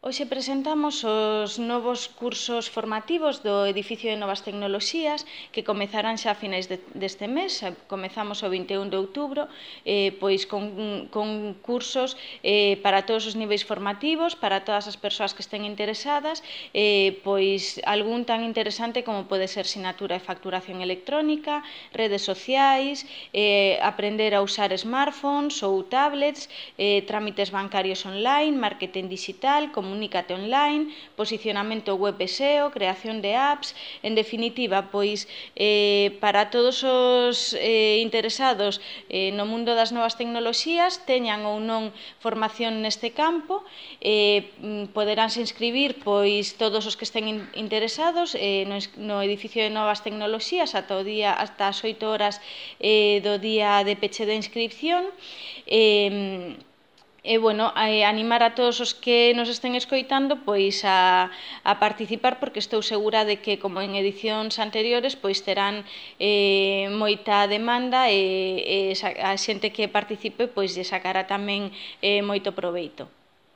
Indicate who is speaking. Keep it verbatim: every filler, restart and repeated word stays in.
Speaker 1: Hoxe presentamos os novos cursos formativos do Edificio de Novas Tecnoloxías que comezarán xa a finais de, deste mes. Comezamos o vinte e un de outubro eh, pois con, con cursos eh, para todos os niveis formativos, para todas as persoas que estén interesadas, eh, pois algún tan interesante como pode ser sinatura e facturación electrónica, redes sociais, eh, aprender a usar smartphones ou tablets, eh, trámites bancarios online, marketing digital, comunícate online, posicionamento web e S E O, creación de apps, en definitiva, pois eh, para todos os eh, interesados eh, no mundo das novas tecnoloxías, teñan ou non formación neste campo, eh, poderánse inscribir pois todos os que estén in, interesados eh, no, no edificio de novas tecnoloxías ata o día hasta as oito horas eh, do día de peche de inscripción. eh, E, bueno, a animar a todos os que nos estén escoitando pois a, a participar, porque estou segura de que, como en edicións anteriores, pois terán eh, moita demanda e, e a xente que participe pois lle sacará tamén eh, moito proveito.